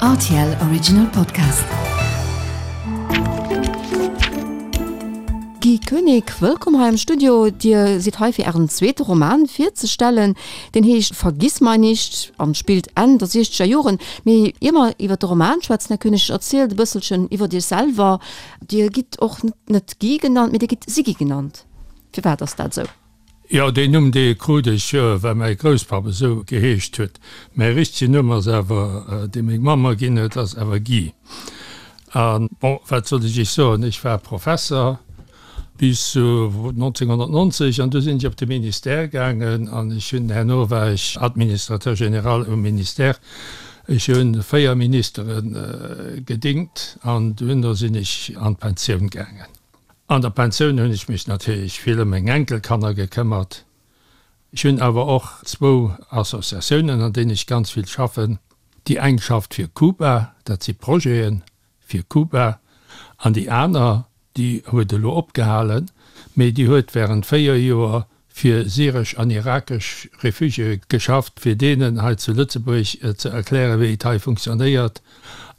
Rtl Original Podcast. Guy Koenig, wëllkomm hei am Studio. Dir sidd hei fir Ären zweete Roman virzestellen. Deen heescht Vergiss mein nicht an spillt Enn der siechzeger Joren. Mee ier mer iwwer de Roman schwätzen, Här Koenig, erzielt e bësselchen iwwer Iech selwer. Dir gitt och net Guy genannt, mee Dir gitt Siggy genannt. Firwat ass dat esou? Jo, deen Numm, dee krut ech, well mäi Grousspapp esou geheescht huet. Mäi richtegen Numm ass awer, dee meng Mamm mer ginn huet, ass awer Guy. A bon, wat soll ech Iech soen, ech war Professer bis 1990 an du sinn ech op de Ministère gaangen an ech hunn, herno war ech Administrateur général um Ministère. Ech hu 4 Ministere gedingt an duerno sinn ech an d'Pensioun gaangen. An der Pensioun hunn ech mech natierlech vill ëm meng Enkelkanner gekëmmert. Ech hunn awer och zwou Associatiounen, an deenen ech ganz vill schaffen. Déi eng schafft fir Kuba, dat si Projete fir Kuba, an déi aner, déi huet elo opgehalen, mee déi huet wärend 4 Joer fir syresch an irakesch Refugiéë geschafft, fir deenen hei zu Lëtzebuerg ze erklären, wéi et hei funktionéiert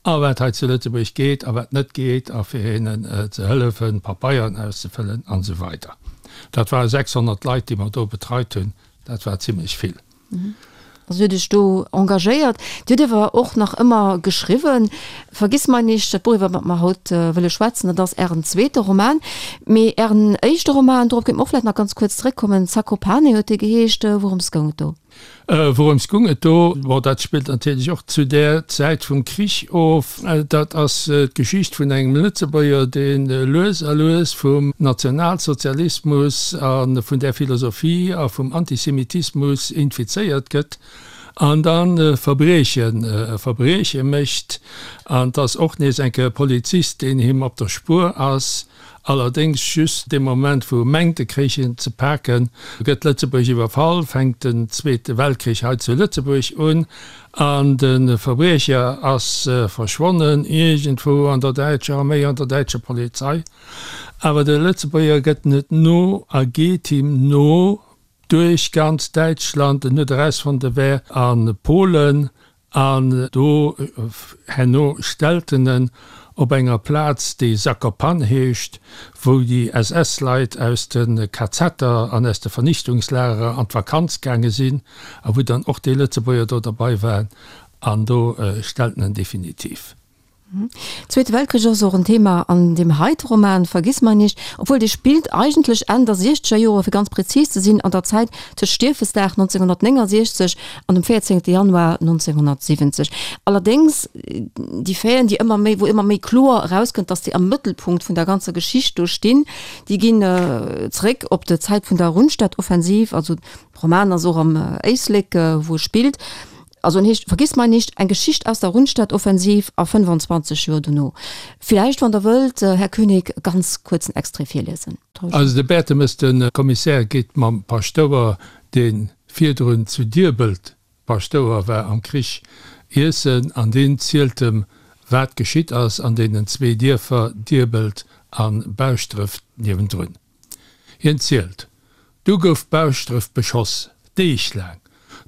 a wat hei zu Lëtzebuerg geet a wat net geet a fir hinnen ze hëllefen, Papeieren auszefëllen an esou weider. Dat ware 600 Leit, déi mer do betreit hunn. Dat war zimlech vill. Also huet Iech do engagéiert. Dir hutt awer och nach ëmmer geschriwwen. Vergiss mein nicht, dat Buch iwwer wat mer haut wëlle schwätzen, dat ass Ären zweete Roman. Mee Ären éischte Roman, dorop kéinte mer och vläicht nach ganz kuerz zeréckkommen, Zakopane huet dee geheescht. Wourëms goung et do? Wourëms goung et do? Bon, dat spillt natierlech och zu där Zäit vum Krich of. Dat ass d'Geschicht vun engem Lëtzebuerger, dee lues a lues vum Nationalsozialismus a vun där Philosophie a vum Antisemitismus infizéiert gëtt an da Verbrieche Verbrieche mécht. An et ass och nees eng Kéier e Polizist, deen him op der Spuer ass. Allerdéngs just dee Moment, wou e mengt, e kréich en ze paken, gëtt Lëtzebuerg iwwerfall, fänkt den Zweete Weltkrich hei zu Lëtzebuerg un an de Verbriecher ass verschwonnen, iergendwou an der däitscher Arméi, an der däitscher Polizei. Awer de Lëtzebuerger gëtt net no a geet him no duerch ganz Däitschland. En huet erausfonnt, e wär a Polen An do herno stellt en en op enger Plaz, déi Zakopane heescht, wou déi SS-Leit aus de KZer an aus de Vernichtungslagerer an d'Vakanz gaange sinn a wou dann och déi Lëtzebuerger do derbei waren. An do stellt en en definitiv. Zweete Weltkrich ass och en Thema an deem heite Roman Vergiss mein nicht, obwuel dee spillt eigentlech Enn der siechzeger Jore, fir ganz prezis ze sinn an der Zäit tëscht Stiefesdag 1969 an dem 14 Januar 1970. Allerdéngs déi Faiten, déi ëmmer méi, wou ëmmer méi kloer erauskënnt, datt déi am Mëttelpunkt vun der ganzer Geschicht do stinn, déi ginn zeréck op d'Zäit vun der Rundstedtoffensiv, also de Roman ass och am Éislek wou e spillt. Also en heescht Vergiss mein nicht, eng Geschicht aus der Rundstedtoffensiv a 25 Joer dono. Villäicht, wann Der wëllt, Här Koenig, e ganz kuerzen Extrait virliesen. Also de Bertemes, de Kommissär, geet mam Paschtouer, dee virdrun zu Diebelt Paschtouer war, am Krich iessen an deen zielt em, wat geschitt ass an deenen zwee Dierfer Diebelt a Bauschtdref niewendrun. Hien zielt, Du gouf Bauschtdref beschoss, Deeg laang.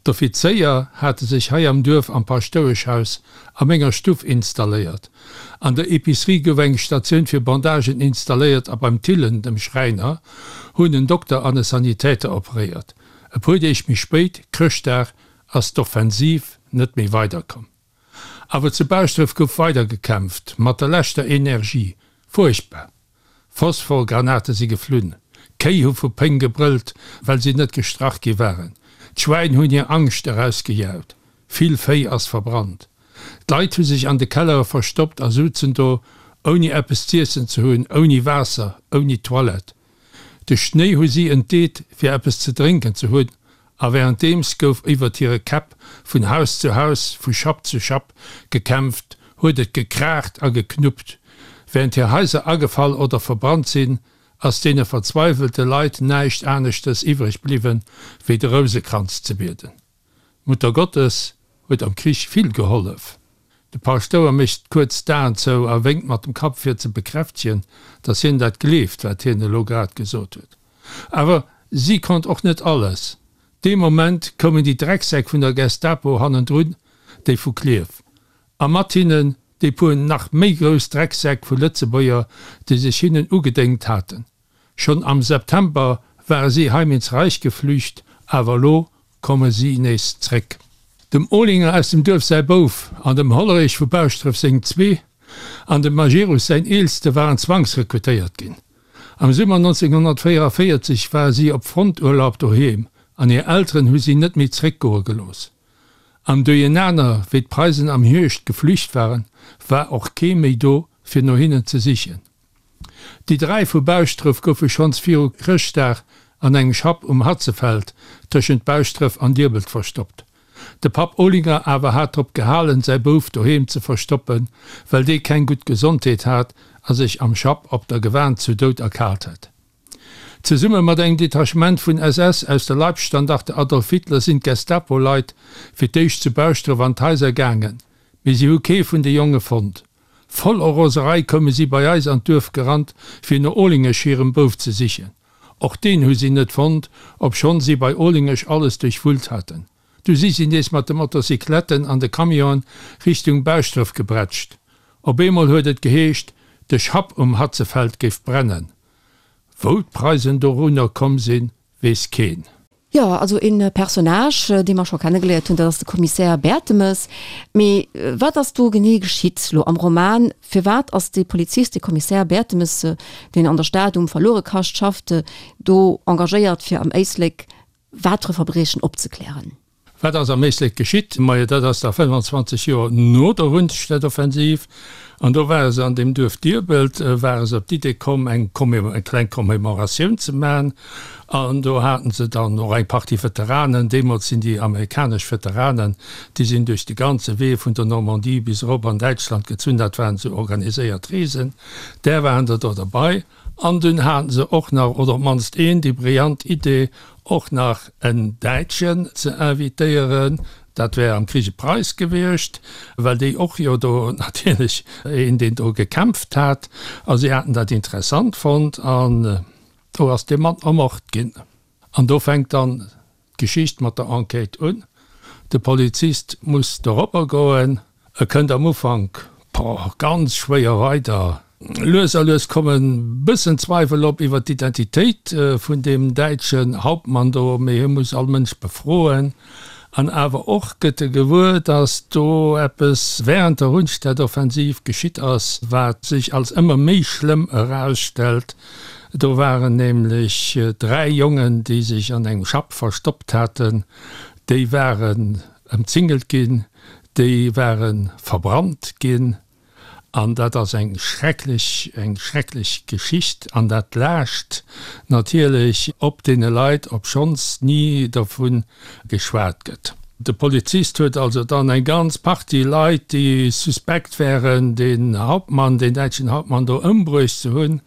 D'Offizéier hate sech hei am Duerf am Paschtoueschhaus a menger Stuff installéiert. An der Epicerie gouf eng Statioun fir Bandagen installéiert a beim Thillen, dem Schräiner, hunn en Dokter an e Sanitäter operéiert. E puer Deeg méi spéit, Chrëschtdag, ass d'Offensiv net méi weiderkomm. Awer zu Baaschtdref gouf weider gekämpft, mat der leschter Energie. Fuerchtbar! Phosphorgranate si geflunn, Kéi hu vu Péng gebrëllt, well si net gestrach gi waren, d'Schwäin hunn hir Angscht erausgejaut, vill Véi ass verbrannt. D'Leit hu sech an de Kellere verstoppt a souzen do, ouni eppes z'iessen ze hunn, ouni Waasser, ouni Toilette. De Schnéi hu si entdeet, fir eppes ze drénken ze hunn, a wärenddeems gouf iwwert hire Käpp vun Haus zu Haus, vu Schapp zu Schapp gekämpft, huet et gekraacht a geknuppt. Wärend hir Haiser agefall oder verbrannt sinn, ass deene verzweiwelte Leit näischt aneschtes iwwreg bliwwen, wéi de Rousekranz ze bieden. D'Muttergottes huet am Krich vill gehollef. De Paschtouer mécht kuerz d'Aen zou a wénkt mat dem Kapp fir ze bekräftegen, datt hien dat gleeft, wat hien elo grad gesot huet. Awer si konnt och net alles. Dee Moment koumen déi Drecksäck vun der Gestapo hannendrun, déi vu Klierf. A mat hinnen déi puer nach méi grouss Drecksäck vu Lëtzebuerger, déi sech hinnen ugedéngt haten. Schonn am September ware si heim ins Reich geflücht, awer elo komme si nees zréck. Dem Olinger aus dem Duerf säi Bouf an dem Hollerich vu Bauschdref seng zwee an dem Majerus säin Eelste waren zwangsrekrutéiert ginn. Am Summer 1944 ware si op Fronturlaub doheem an hir Elteren hu si net méi zréckgoe gelooss. Am Duerjenaner, wéi d'Preisen am Hierscht geflücht waren, war och kee méi do fir no hinnen ze sichen. Déi 3 vu Bauschdref goufe schonns viru Chrëschtdag an engem Schapp um Hatzefeld tëschent Bauschdref an Diebelt verstoppt. De Papp Olinger awer hat drop gehalen, säi Bouf doheem ze verstoppen, well dee keng gutt Gesondheet hat a sech am Schapp op der Gewan zu Doud erkaalt hätt. Zesumme mat engem Detachement vun SS aus der Leibstandarte Adolf Hitler sinn d'Gestapo-Leit fir d'éischt zu Bauschdref an d'Haiser gaangen, mee si hu kee vun de Jonge fonnt. Voller Roserei koume si bei eis an d'Duerf gerannt, fir no Olingesch hirem Bouf ze sichen. Och deen hu si net fonnt, obschonn si bei Olingesch alles duerchwullt haten. Du si si nees mat de Motocycletten an de Camionen Richtung Bauschdref gebrätscht. Op eemol huet et geheescht, de Schapp um Hatzefeld géif brennen. Wou d'Preisen dorunner komm sinn, weess keen. Jo, also e Personnage, dee mer scho kennegeléiert hunn, dat ass de Kommissär Bertemes. Mee wat ass do genee geschitt lo am Roman? Firwat ass dee Polizist, dee Kommissär Bertemes, deen an der Stad um Verluerekascht schafft, do engagéiert, fir am Éislek wat fir e Verbriechen opzeklären? Wat ass am Éislek geschitt? Majo, dat ass da 25 Joer no der Rundstedtoffensiv. An do ware se an deem Duerf Diebelt, ware se op d'Idee komm, eng kleng Commémoratioun ze man. An do haten se dann och eng Partie Veteranen, deemools sinn déi amerikanesch Veteranen, déi sinn duerch de ganze Wee vun der Normandie bis erop an Däitschland gezunn, dat waren esou organiséiert Reesen, där waren der do derbei. An dunn haten se och nach, oder op d'mannst een, déi brillant Idee, och nach en Däitschen ze invitéieren, dat wär am Krich e Preis gewiescht, well déi och jo do natierlech een, deen do gekämpft hat, a si haten dat interessant fonnt an do ass dee Mann ermort ginn. An do fänkt dann d'Geschicht mat der Enquête un. De Polizist muss doropper goen. E kënnt am Ufank, boah, ganz schwéier weider. Lues a lues kommen bëssen Zweiwel op iwwer d'Identitéit vun deem däitschen Hauptmann do, mee hie muss all Mënsch befroen. An awer och gëtt e gewuer, datt do eppes während der Rundstedtoffensiv geschitt ass, wat sech als ëmmer méi schlëmm erausstellt. Do waren nämlech 3 Jongen, déi sech an engem Schapp verstoppt haten, déi waren ëmzingelt ginn, déi ware verbrannt ginn. An dat ass eng schrecklech, eng schrecklech Geschicht. An dat laascht natierlech op deene Leit, obschonns ni dervu geschwat gëtt. De Polizist huet also dann eng ganz Partie Leit, déi suspekt wären, den Hauptmann, den däitschen Hauptmann do ëmbruecht ze hunn.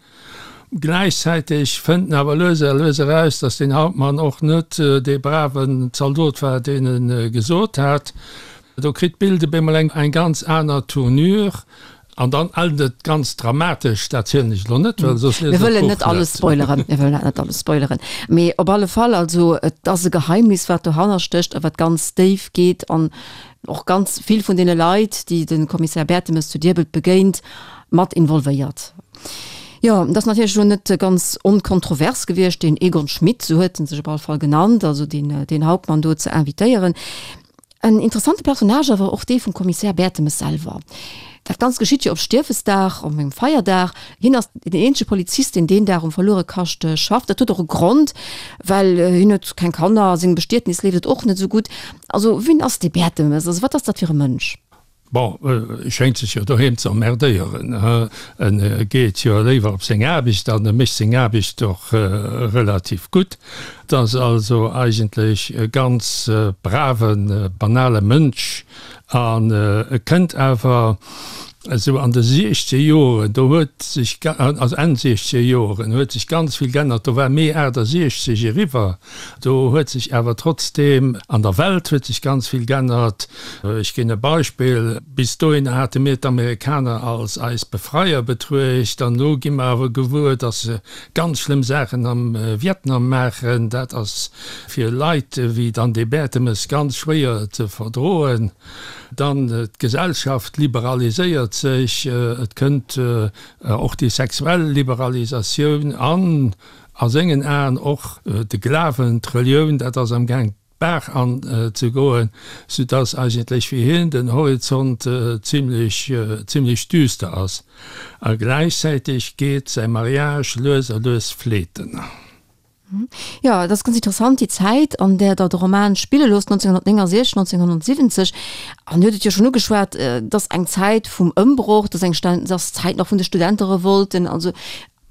Gläichzäiteg fënnt en awer lues a lues eraus, datt deen Hauptmann och net dee braven Zaldot war, deen e gesot hat. Do kritt d'Bild op eemol eng ganz aner Tournure an dann ennt et ganz dramatesch. Dat zielen ech elo net, well soss liest der d'Buch net. Mir wëllen net alles spoileren, mir wëllen net alles spoileren. Mee op alle Fall, also et ass e Geheimnis, wat dohanner stécht a wat ganz déif geet an och ganz vill vun deene Leit, déi de Kommissär Bertemes zu Diebelt begéint, mat involvéiert. Jo, et ass natierlech elo net ganz onkontrovers gewiescht, deen Egon Schmidt, sou huet en sech op alle Fall genannt, also deen, deen Hauptmann do ze invitéieren. En interessante Personnage awer och dee vum Kommissär Bertemes selwer. Dat Ganzt geschitt jo op Stiefesdag, op engem Feierdag. Hien ass deen eenzege Polizist, deen deen Dag um Verluerekascht schafft. Dat huet och e Grond, well hien huet keng Kanner, a sengem Bestietnis leeft et och net esou gutt. Also wien ass dee Bertemes? Also wat ass dat fir e Mënsch? Bon, e schéngt sech jo doheem ze emmerdéieren. E geet jo léiwer op seng Aarbecht an e mécht seng Aarbecht och relativ gutt. Et ass also eigentlech e ganz braven, banale Mënsch an e kënnt awer esou an de siechzeger Joren, do huet sech, also Enn siechzeger Joren huet sech ganz vill g'ännert, do war Mee 68 eriwwer, do huet sech awer trotzdeem an der Welt huet sech ganz vill g'ännert. Ech ginn e Beispill, Bis dohinner hate mir d'Amerikaner als eis Befreier betruecht an elo gi mer awer gewuer, datt se ganz schlëmm Saachen am Vietnam maachen. Dat ass fir Leit wéi dann dee Bertemes ganz schwéier ze verdroen. Dann d'Gesellschaft liberaliséiert sech, et kënnt och déi sexuell Liberalisatioun an a sengen Aen och de Glawen, d'Relioun, dat ass am Gaang d'Baach an ze goen, soudass eigentlech fir hien den Horizont zimlech, zimlech düster ass. A gläichzäiteg geet säi Mariage lues a lues fleeten. Jo, et ass ganz interessant, déi Zäit, an där Der de Roman spille loosst, 1969, 1970. An Dir hutt et jo schonn ugeschwat, et ass eng Zäit vum Ëmbroch, et ass eng, et ass d'Zäit nach vun de Studenterevolten. Also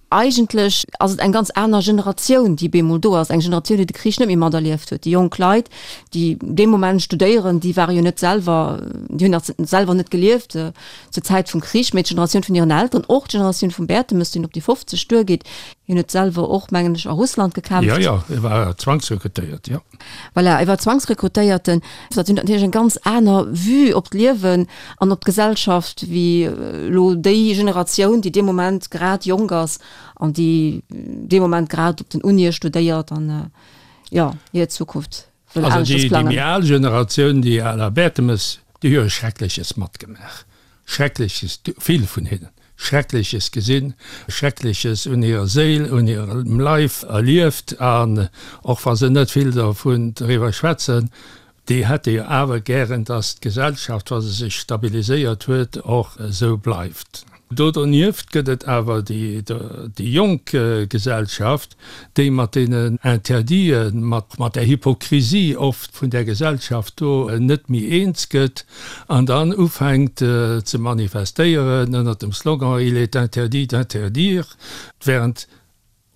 eigentlech ass et eng ganz aner Generatioun, déi bemol do ass, eng Generatioun, déi de Krich net méi materlieft huet. Déi jonk Leit, déi dee Moment studéieren, déi ware jo net selwer, déi hunn nach selwer net gelieft zur Zäit vum Krich, mee d'Generatioun vun hiren Elteren, och d'Generatioun vum Bertemes, deen op déi 50 duergeet, Hien huet selwer och, mengen ech, a Russland gekämpft. Jo, jo, e war Zwangsrekrutéiert, jo. Voilà, e war Zwangsrekrutéierten. Dat hunn natierlech eng ganz aner Vue op d'Liewen an op d'Gesellschaft wéi elo déi Generatioun, déi dee Moment grad jonk ass an déi dee Moment grad op den Unie studéiert an, jo, hir Zukunft wëll aneschters plangen. Also déi méi al Generatioun, déi à la Bertemes, déi hu jo Schreckleches matgemaach. Schreckleches, vill vun hinnen, Schreckleches gesinn, Schreckleches un hirer Séil, un hirem Leif erlieft, an och wa se net vill dovun driwwer schwätzen, déi hätte jo awer gären, dass d'Gesellschaft, wa se sech stabiliséiert huet, och esou bleift. Do donieft gëtt et awer déi jonk Gesellschaft, déi mat deenen Interditen, mat der Hypokrisie oft vun där Gesellschaft do net méi eens gëtt an dann ufänkt ze manifestéieren ënnert dem Slogan Il est interdit d'interdire, während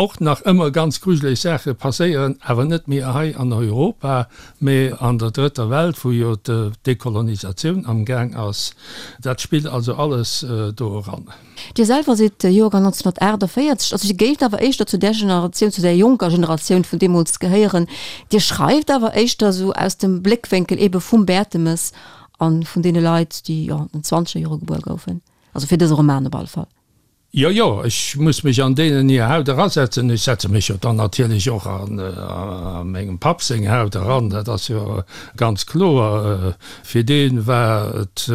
och nach ëmmer ganz grujeleg Saache passéieren, awer net méi hei an Europa, mä an der Drëtter Welt, wou jo d'Dekolonisatioun amgaang ass. Dat spillt also alles do eran. Dir selwer sidd Joergang 1948, also Dir géift awer éischter zu där Generatioun, zu där jonker Generatioun vun deemools gehéieren. Dir schreift awer éischter esou aus dem Bléckwénkel eebe vum Bertemes a vun deene Leit, déi, jo, an den zwanzeger Jore gebuer goufen, also fir dëse Roman op alle Fall. Jo, jo, ech muss mech an deenen hir Haut erasetzen. Ech setze mech jo dann natierlech och a mengem Papp seng Haut eran, dat ass jo ganz kloer. Fir dee war et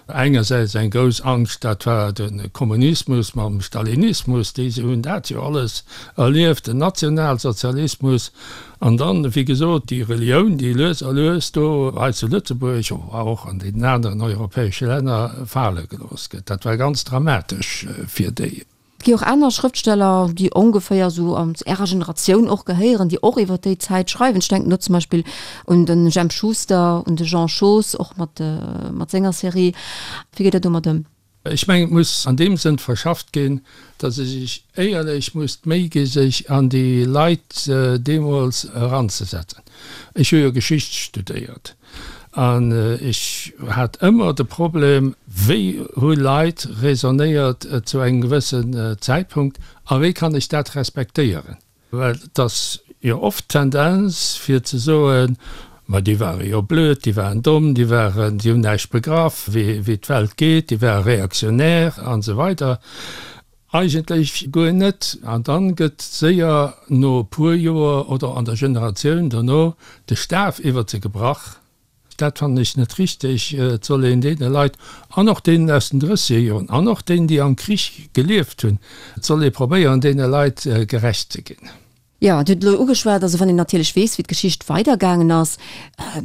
engersäits eng grouss Angscht, dat war de Kommunismus mam Stalinismus, déi hunn dat jo alles erlieft, den Nationalsozialismus. An dann, wéi gesot, déi Relioun, déi lues a lues do hei zu Lëtzebuerg, awer och an deenen aneren europäesche Länner fale gelooss gëtt. Dat war ganz dramatesch fir déi. Et gi och aner Schrëftsteller, déi ongeféier esou zu Ärer Generatioun och gehéieren, déi och iwwer déi Zäit schreiwen. Ech denken do zum Beispill un de Jemp Schuster, un de Jean Schoos, och mat senger Serie. Wéi geet Der domat ëm? Ech mengen, et muss an deem Sënn verschafft ginn, datt ee sech éierlech muss d'Méi gi sech an déi Leit deemools eranzesetzen. Ech hu jo Geschicht studéiert an ech hat ëmmer de Problem, wéi hu Leit raisonnéiert zu engem gewëssen Zäitpunkt a wéi kann ech dat respektéieren? Well et ass jo oft d'Tendenz fir ze soen, ma déi ware jo blöd, déi waren domm, déi waren, déi hunn näischt begraff, wéi d'Welt geet, déi ware réactionnaire an esou weider. Eigentlech guer net. An dann gëtt séier no e puer Joer oder an der Generatioun dono de Staf iwwert se gebrach. Dat fannen ech net richteg. Et soll een deene Leit, an och deenen aus den drësseger Joren, an och deenen, déi am Krich gelieft hunn, et soll ee probéieren, deene Leit gerecht ze ginn. Jo, Dir hutt et elo ugeschwat, also wann een natierlech weess, wéi d'Geschicht weidergaangen ass,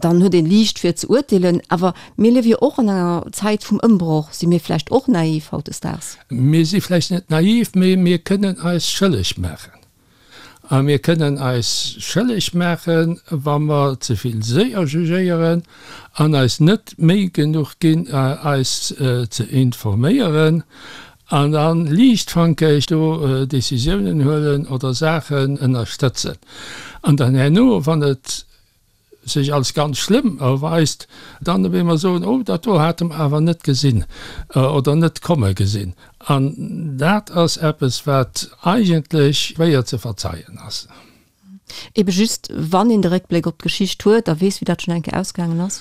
dann huet een liicht fir ze urteelen. Awer mir liewe jo och an enger Zäit vum Ëmbroch. Si mir vläicht och naiv hautdesdaags? Mir si vläicht net naiv, mee mir kënnen eis schëlleg maachen. A mir kënnen eis schëlleg maachen, wa mer ze vill séier jugéieren an eis net d'Méi genuch ginn, eis ze informéieren an da liichtfankeg do Décisiounen huelen oder Saachen ënnerstëtzen. An dann herno, wann et sech als ganz schlëmm erweist, dann op eemol soen, oh dat do hate mer awer net gesinn oder net komme gesinn. An dat ass eppes, wat eigentlech schwéier ze verzeien ass. Ebe just wann een de Réckbléck op d'Geschicht huet a weess, wéi dat schonn eng Kéier ausgaangen ass.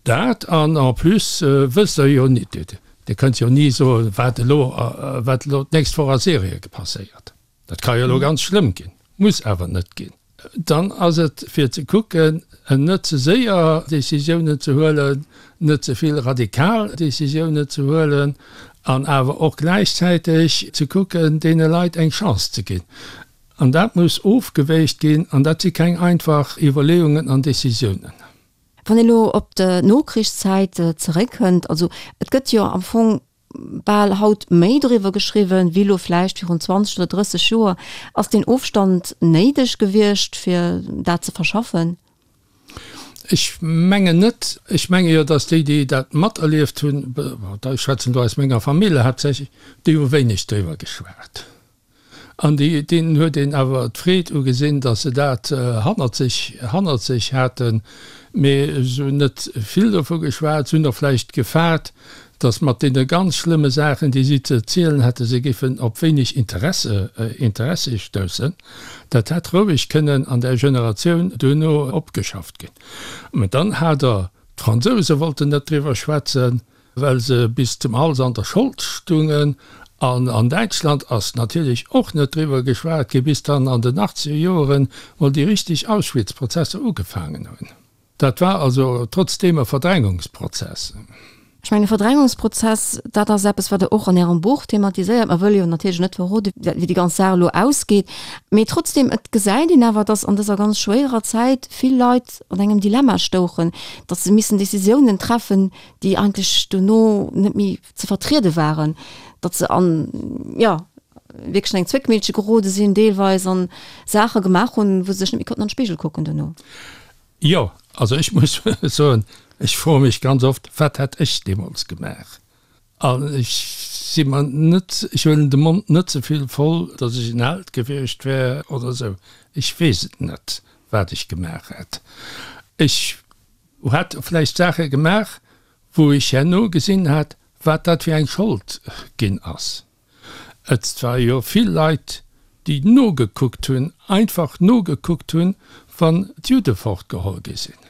Dat an en plus wësst Der jo nit, Dir kënnt jo ni soen, wat elo, wat elo d'nächst Woch a Syrie passéiert. Dat ka jo elo ganz schlëmm ginn, muss awer net ginn. Dann ass et fir ze kucken. Net ze séier Décisiounen ze huelen, net ze vill radikal Décisiounen ze huelen an awer och gläichzäiteg ze kucken, deene Leit eng Chance ze ginn. An dat muss ofgewéigt ginn an dat si keng einfach Iwwerleeungen an Décisiounen. Wann een elo op d'Nokrichszäit zeréckkënnt, also et gëtt jo am Fong bal haut méi doriwwer geschriwwen, wéi elo vläicht virun 20 oder 30 Joer. Ass deen Ofstand néideg gewiescht, fir dat ze verschaffen? Ech mengen net. Ech menge jo, datt déi, déi dat materlieft hunn, ech schwätzen do aus menger Famill haaptsächlech, déi hu wéineg driwwer geschwat. An déi, deenen huet een awer d'Freed ugesinn, datt se dat hannert sech, hannert sech haten. Mee se hunn net vill dovu geschwat. Se hunn och vläicht gefaart, datt mat deene ganz schlëmme Saachen, déi si ze erzielen hätten, se géifen op wéineg Interesse, Interessi stoussen. Dat hätt roueg kënnen an där Generatioun duerno opgeschafft ginn. Mä dann hat Der, d'Fransouse wollten net driwwer schwätzen, well se bis zum Hals an der Schold stungen, an an Däitschland ass natierlech och net driwwer geschwat gi bis dann an den achtzeger Joeren mol déi richteg Auschwitz-Prozesser ugefaangen hunn. Dat war also trotzdeem e Verdrängungsprozess. Ech mengen, e Verdrängungsprozess, dat ass eppes, wat Der och an Ärem Buch thematiséiert. Mer wëlle jo natierlech net verroden, wéi déi ganz Saach elo ausgeet, mee trotzdeem, et gesäit een awer, datt an dëser ganz schwéierer Zäit vill Leit an engem Dilemma stouchen, datt se missen Décisiounen treffen, déi eigentlech dono net méi ze vertriede waren, datt se an, jo, wierklech an eng Zwéckmillche gerode sinn deelweis an Saache gemaach hunn, wou se sech net méi konnten an de Spigel kucken dono. Jo, also ech muss soen, ech froe mech ganz oft, wat hätt ech deemools gemaach? An ech si mer net, ech huelen de Mond net ze vill voll, datt ech en Held gewiescht wär oder esou. Ech weess et net, wat ech gemaach hätt. Ech Hätt vläicht Saache gemaach, wou ech herno gesinn hätt, wat dat fir eng Schold ginn ass. Et war jo vill Leit, déi nogekuckt hunn, einfach nogekuckt hunn, wann d'Judde fortgeholl gi sinn,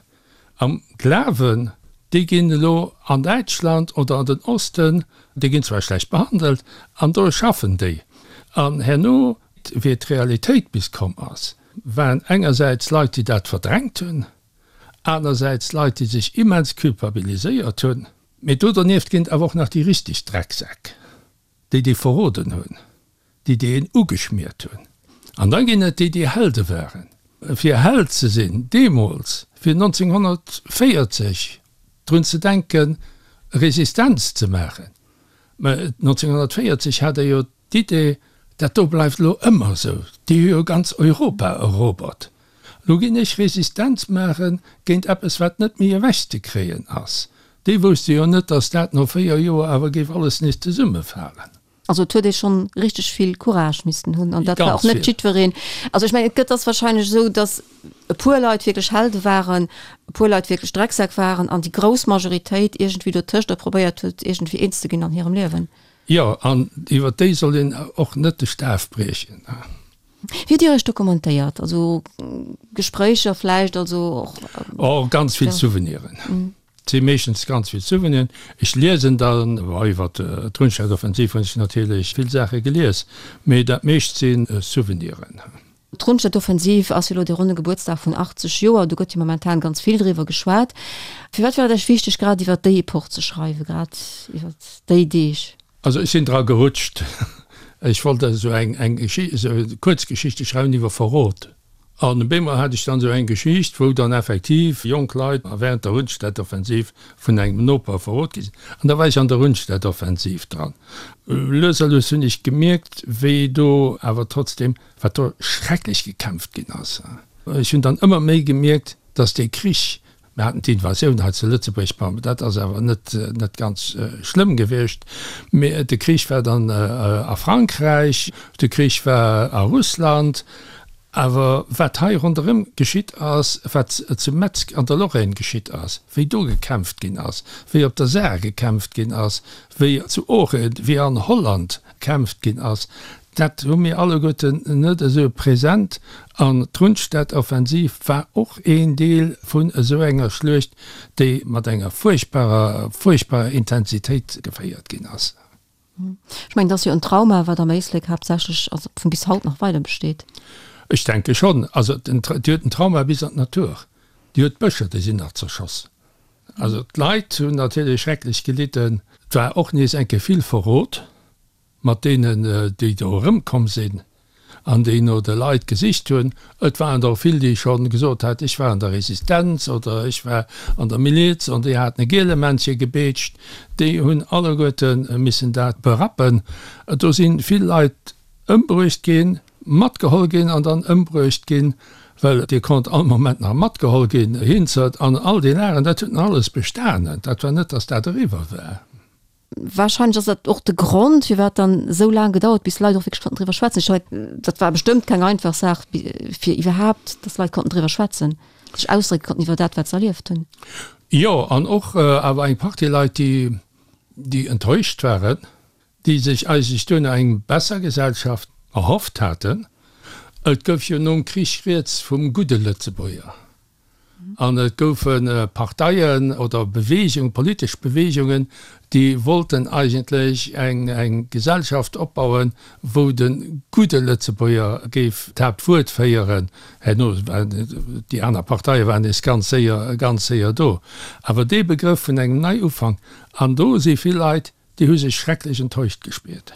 am Glawen, déi ginn elo an Däitschland oder an den Osten, déi ginn zwar schlecht behandelt, an do schaffen déi. An herno, wéi d'Realitéit bis komm ass, waren engersäits Leit, déi dat verdrängt hunn, anersäits Leit, déi sech immens culpabiliséiert hunn. Mee do dernieft ginn et awer och nach déi richteg Drecksäck, déi déi verroden hunn, déi déi een ugeschmiert hunn. An da ginn et déi, déi Helde waren. Fir Held ze sinn deemools, fir 1940 drun ze denken, Resistenz ze maachen, mä 1940 hat ee jo D'Idee, dat do bleift elo ëmmer esou, déi hu jo ganz Europa erobert, elo ginn ech Resistenz maache géint eppes, wat net méi ewechzekréien ass, déi wousste jo net, datt dat no 4 Joer awer géif alles nees zesummefalen. Also et huet ee schonn richteg vill Courage missten hunn an dat war och net jiddwereen. Also ech mengen, et gëtt ass wahrscheinlech esou, datt e puer Leit wierklech Helde waren, e puer Leit wierklech Drecksäck waren an déi grouss Majoritéit iergendwéi dotëscht a probéiert huet, iergendwéi eens ze ginn an hirem Liewen. Jo, an iwwer déi soll een och net de Staf briechen. Wéi hutt Dir Iech dokumentéiert? Also Gespréicher vläicht, also och. Oh, ganz vill Souveniren. Et si meeschtens ganz vill Souveniren. Ech liesen dann, bon, iwwer d'Rundstedtoffensiv hunn ech natierlech vill Saache gelies, mee dat meescht si Souveniren. D'Rundstedtoffensiv ass jo elo de ronne Gebuertsdag vun 80 Joer, do gëtt jo momentan ganz vill driwwer geschwat. Firwat war et Iech wichteg, grad iwwer déi Epoch ze schreiwen, grad iwwer déi Deeg? Also ech sinn dra gerutscht. Ech wollt esou eng eng esou Kuerzgeschichte schreiwen iwwer Verrot. An op eemol hat ech dann esou eng Geschicht, wou dann effektiv jonk Leit während der Rundstedtoffensiv vun engem Noper verrot gi sinn. An da war ech an der Rundstedtoffensiv dran. Lues a lues hunn ech gemierkt, wéi do awer trotzdem wat do schrecklech gekämpft ginn ass. Ech hunn dann ëmmer méi gemierkt, dass dee Krich, mir haten d'Invasioun hei zu Lëtzebuerg, bon, dat ass awer net, net ganz schlëmm gewiescht, mee de Krich war dann a Frankräich, de Krich war a Russland, awer wat hei ronderëm geschitt ass, wat zu Metz an der Lorraine geschitt ass, wéi do gekämpft ginn ass, wéi op der Saar gekämpft ginn ass, wéi zu Oochen, wéi an Holland gekämpft ginn ass, Dat hu mir alleguerten net esou present. An d'Rundstedtoffensiv war och een Deel vun esou enger Schluecht, déi mat enger fuerchtbarer, fuerchtbarer Intensitéit geféiert ginn ass. Ech mengen, dat ass jo en Trauma, wat am Éislek haaptsächlech, also vun bis haut nach weider besteet. Ech denke schonn. Also, et huet en Trauma bis an d'Natur. Déi huet d'Bëscher, déi sinn nach zerschoss. Also d'Leit hunn natierlech schrecklech gelidden. Et war och nees eng Kéier vill Verrot mat deenen, déi do erëmkomm sinn an déi no de Leit gesicht hunn. Et waren der och vill, déi scho gesot haten, ech war an der Resistenz oder ech war an der Miliz an déi haten e Gielemännche gebeetscht. Déi hunn alleguerte missen dat berappen. Do si vill Leit ëmbruecht ginn, matgeholl ginn an dann ëmbruecht ginn, well Dir konnt all Moment nach matgeholl ginn, Hinzert an all déi Lageren, dat huet nach alles bestanen. Dat war net, datt dat eriwwer war. Wahrscheinlech ass dat och de Grond, firwat dann esou laang gedauert, bis d'Leit och wierklech konnten driwwer schwätzen. Ech mengen, dat war bestëmmt keng einfach Saach, fir iwwerhaapt, datt d'Leit konnten driwwer schwätzen, sech ausdrécke konnten iwwer dat, wat se erlieft hunn. Jo, an och awer eng Partie Leit, déi, déi enttäuscht waren, déi sech eigentlech duerno eng besser Gesellschaft erhofft haten. Et gouf jo nom Krich rieds vum gudde Lëtzebuerger an et goufe Parteien oder Beweegungen, politesch Beweegungen, déi wollten eigentlech eng Gesellschaft opbauen, wou de gudde Lëtzebuerger géif d'Haaptwuert féieren. Herno waren déi aner Parteie waren nees ganz séier, ganz séier do. Awer dee Begrëff vun engem Neiufank, an do si vill Leit, Déi hu sech schrecklech enttäuscht gespiert.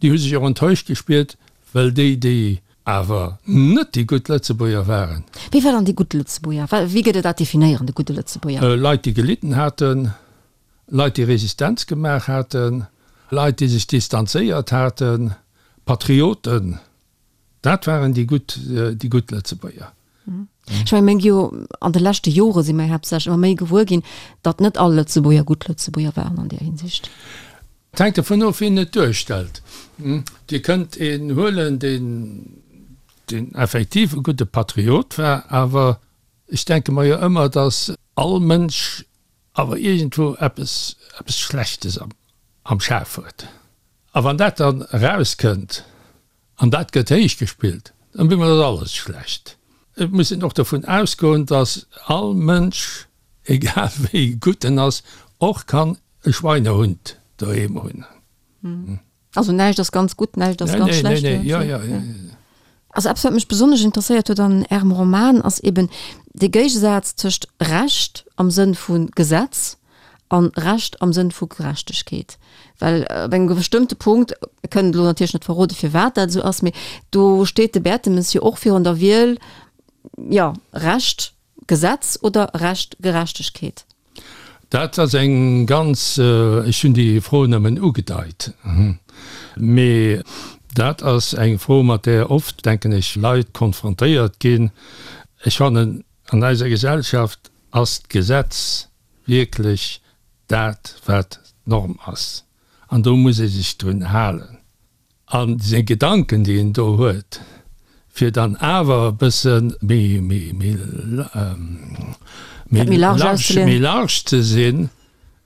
Déi hu sech och enttäuscht gespiert, well déi, déi awer net déi gutt Lëtzebuerger waren. Wie war dann dee gudde Lëtzebuerger? Wéi gëtt Der dat definéieren, de gudde Lëtzebuerger? Leit, déi gelidden haten, Leit, déi Resistenz gemaach haten, Leit, déi sech distanzéiert haten, Patrioten. Dat waren déi gutt, déi gutt Lëtzebuerger. Ech menge mir gi jo an de leschte Jore si mir haaptsächlech ëmmer méi gewuer ginn, datt net all Lëtzebuerger gutt Lëtzebuerger waren an där Hinsicht. Et hänkt dovun of, wien et duerstellt. Dir kënnt een huelen, deen, deen effektiv e gudde Patriot war, awer ech denke mer jo ëmmer, datt all Mënsch awer iergendwou eppes, eppes Schlechtes am, am Schaf huet. A wann dat dann erauskënnt, An dat gëtt héich gespillt, dann bemol ass alles schlecht. Et muss een och dovun ausgoen, datt all Mënsch, egal wéi gutt en ass, och kann e Schweinehund doheem hunn. Also näischt ass ganz gutt, näischt ass ganz schlecht. Nee, nee, jo, jo. Also eppes wat mech besonnesch interesséiert huet an Ärem Roman ass eben de Géigesaz tëscht Recht am Sënn vu Gesetz an Recht am Sënn vu Gerechtegkeet. Well op engem bestëmmte Punkt, mir kënnen elo natierlech net verrode firwat dat esou ass, mee do steet de Bertemes jo och virun der Wiel, jo, Recht, Gesetz oder Recht, Gerechtegkeet. Dat ass eng ganz, ech hunn déi Fro nëmmen ugedeit, mee dat ass eng Fro, mat där oft, denken ech, Leit konfrontéiert ginn. Ech fannen, an eiser Gesellschaft ass d'Gesetz wierklech dat, wat d'Norm ass, an do muss ee sech drun halen. A seng Gedanken, déi een do huet, fir dann awer e bësse méi large ze sinn,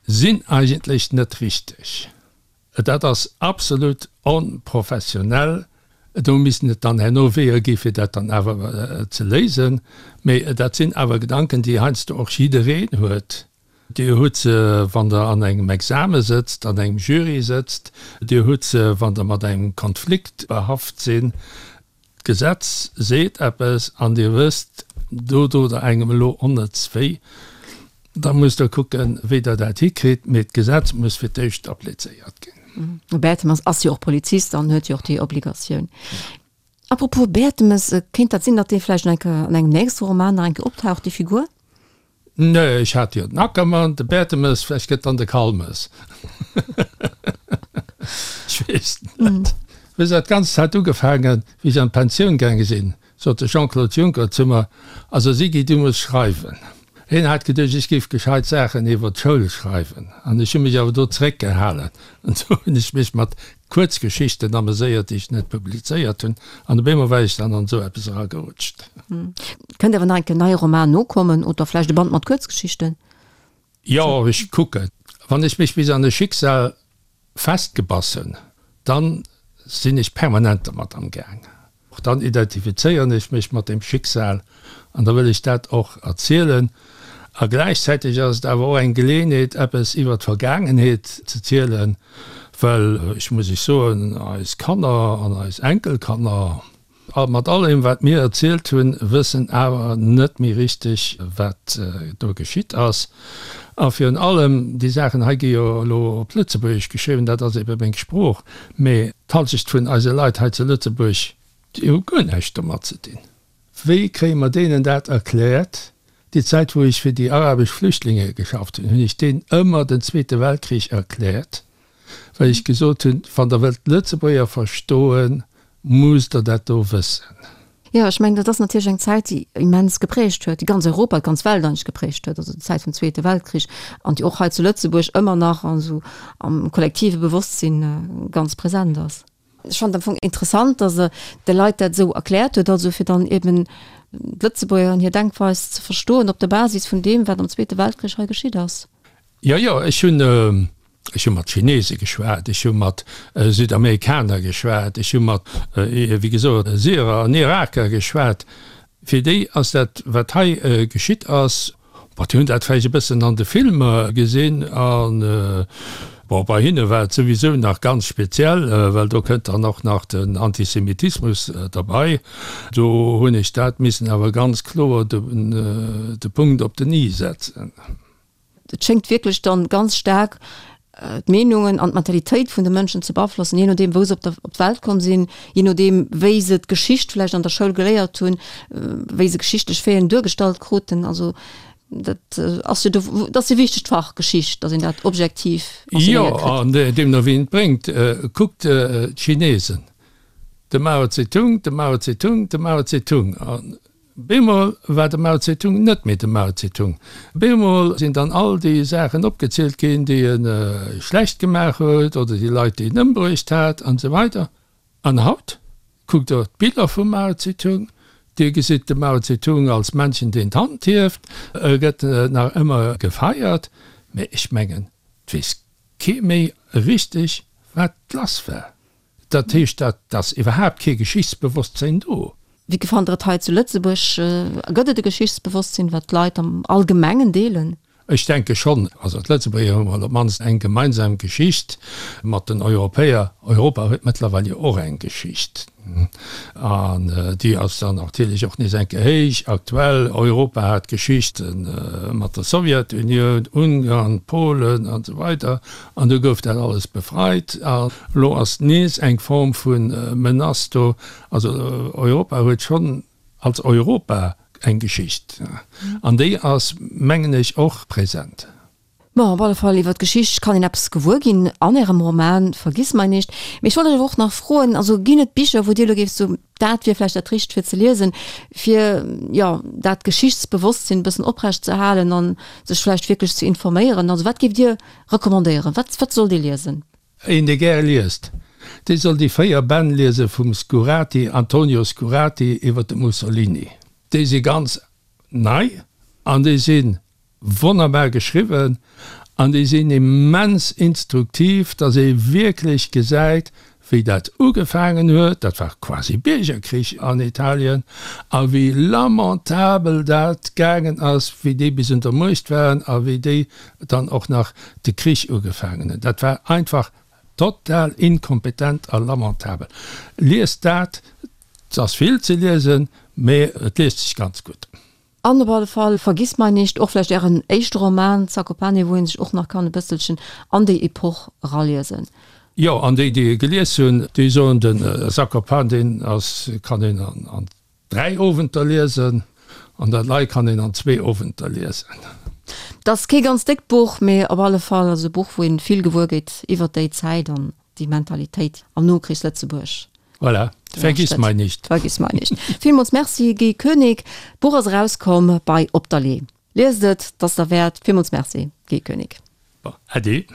sinn eigentlech net richteg. Dat ass absolut onprofessionell. Do missten et dann herno Weeër gi fir dat dann awer ze léisen. Mee dat sinn awer Gedanken, déi heiansdo och jiddereen huet. Dir hutt se, wann Der an engem Exame sëtzt, an engem Jury sëtzt. Dir hutt se, wann Der mat engem Konflikt behaft sinn. D'Gesetz seet eppes an Dir wësst, do dot Der engem elo onnëtz wéi. Da musst Der kucken, wéi Der dat hikritt, mee d'Gesetz muss fir d'éischt applizéiert ginn. De Bertemes ass jo och Polizist an huet jo och déi Obligatioun. Apropos Bertemes, kéint dat sinn, datt dee vläicht nach eng Kéier an engem nächste Roman nach eng Kéier optaucht, déi Figur? Nee, ech hat jo den Ackermann, de Bertemes, vläicht gëtt dann de Kalmes. Ech weess et net. Wéi dat Ganzt hat ugefaangen, wéi ech an d'Pensioun gaange sinn, sot de Jean-Claude Juncker zu mer, Also Siggy, du muss schreiwen. Hien hat geduecht, ech géif gescheit Saachen iwwer d'Schoul schreiwen, an ech hu mech awer do zeréckgehalen. An do hunn ech mech mat Kuerzgeschichten ameséiert, déi ech net publizéiert hunn, an op eemol war ech dann an esou eppes eragerutscht. Kënnt awer nach eng Kéier en neie Roman nokommen oder vläicht e Band mat Kuerzgeschichten? Jo, ech kucken. Wann ech mech bis an e Schicksal festgebass hunn, dann sinn ech permanent dermat am Gaang. Och dann identifizéieren ech mech mat deem Schicksal an da wëll ech dat och erzielen. A gläichzäiteg ass et awer och eng Geleeënheet, eppes iwwer d'Vergaangenheet ze zielen, well ech muss Iech soen, eis Kanner an eis Enkelkanner. A mat allem, wat mir erzielt hunn, wëssen awer net méi richteg, wat do geschitt ass. A virun allem, déi Saachen hei gi jo elo op Lëtzebuergesch geschriwwen, dat ass ebe meng Sprooch, mä d'Halschecht vun eise Leit hei zu Lëtzebuerg, déi hu guer näischt domat ze dinn. Wéi kréie mer deenen dat erkläert? Déi Zäit, wou ech fir déi arabesch Flüchtlinge geschafft hunn, hunn ech deenen ëmmer den Zweete Weltkrich erkläert, well ech gesot hunn, Wann Der wëllt d'Lëtzebuerger verstoen, musst Der dat do wëssen. Jo, ech mengen, dat ass natierlech eng Zäit, déi immens geprägt huet, déi ganz Europa, d'ganz Welt eigentlech geprägt huet, also déi Zäit vum Zweete Weltkrich an déi och hei zu Lëtzebuerg ëmmer nach esou am kollektive Bewosstsinn ganz present ass. Ech fannen et am Fong interessant, datt Der de Leit dat esou erkläert hutt, also fir dann eben d'Lëtzebuerger an hir Denkweis ze verstoen op der Basis vun deem, wat am Zweete Weltkrich hei geschitt ass. Jo, jo, ech hunn, ech hu mat Chinese geschwat, ech hu mat Südamerikaner geschwat, ech hu mat, wéi gesot, Syrer an Iraker geschwat. Fir déi ass dat, wat hei geschitt ass, bon, déi hunn dat vläicht e bëssen an de Filmer gesinn an, bon, bei hinne war et souwisou nach ganz speziell, well do kënnt dann och nach den Antisemitismus derbei. Do hunn ech dat missen awer ganz kloer de Punkt op den i setzen. Et schéngt wierklech dann ganz staark d'Meenungen an d'Mentalitéit vun de Mënschen ze beaflossen, jee nodeem wou se op der op d'Welt komm sinn, jee nodeem wéi se d'Geschicht vläicht an der Schoul geléiert hunn, wéi se geschichtlech Faiten duergestallt kruten. Also dat ass jo do, dat ass e wichtegt Fach, Geschicht, datt een dat objektiv enseignéiert kritt. Jo, an deemno wien et bréngt, kuckt d'Chinesen, de Mao Zedong, de Mao Zedong, de Mao Zedong. An Bemol war de Mao Zedong net méi de Mao Zedong. Bemol sinn dann all déi Saachen opgezielt ginn, déi e schlecht gemaach huet oder déi Leit, déi en ëmbruecht hat an esou weider. An haut kuckt Der d'Biller vum Mao Zedong, Dir gesitt de Mao Zedong als Männchen, deen d'Hand hieft, e gëtt nach ëmmer gefeiert, mä ech mengen, et weess kee méi richteg, wat lass war. Dat heescht, dat ass iwwerhaapt kee Geschichtsbewosstsinn do. Wéi gefannt Der et hei zu Lëtzebuerg? Gëtt et e Geschichtsbewosstsinn, wat d'Leit am Allgemengen deelen? Ech denke schonn. Also d'Lëtzebuerger hu mol op d'mannst eng gemeinsam Geschicht mat den Europäer. Europa huet mëttlerweil jo och eng Geschicht. An déi ass dann natierlech och nees eng Kéier héich aktuell. Europa hat Geschichte mat der Sowjetunioun, Ungarn, Polen an esou weider. An du gouf dat alles befreit. A lo ass nees eng Form vu Menace do. Also Europa huet schonn als Europa eng Geschicht. An déi ass, mengen ech, och present. Bon, op alle Fall, iwwer d'Geschicht kann een eppes gewuer ginn an Ärem Roman Vergissmeinnicht. Mee ech wollt Iech awer och nach froen, also ginn et Bicher, wou Dir elo géift soen, dat wier vläicht dat Richtegt fir ze liesen, fir, jo, dat Geschichtsbewosstsinn e bëssen oprecht ze halen an sech vläicht wierklech ze informéieren? Also wat géift Dir recommandéieren? Wat, wat sollt ee liesen? Een, dee gäre liest, dee soll déi 4 Bänn liese vum Scurati, Antonio Scurati iwwer de Mussolini. Déi si ganz nei an déi si Wonnerbar geschriwwen an déi sinn immens instruktiv, dass ee wierklech gesäit, wéi dat ugefaangen huet, dat war quasi Biergerkrich an Italien, a wéi lamentabel dat gaangen ass, wéi déi bis un der Muecht waren a wéi déi dann och nach de Krich ugefaangen hunn. Dat war einfach total inkompetent a lamentabel. Liest dat, 't ass vill ze liesen, mee et liest sech ganz gutt. An op alle Fall Vergissmeinnicht, och vläicht Ären éischte Roman Zakopane, wou ee sech och nach kann e bësselchen an déi Epoch eraliesen. Jo, an déi, déi e gelies hunn, déi soen, de Zakopane, deen ass, kann een an 3 Owenter liesen, an dat lei kann een an zwee Owenter liesen. Et ass kee ganz déckt Buch, mee op alle Fall ass e Buch, wou een vill gewuer gétt iwwert déi Zäit an déi Mentalitéit am Nokrichslëtzebuerg. Voilà, vergiss mei nicht. Vergiss mei nicht. Villmools Merci Guy Koenig. D'Buch ass erauskomm bei Op der Lee. Liest et, 't ass derwäert. Villmools Merci Guy Koenig. Bon, äddi.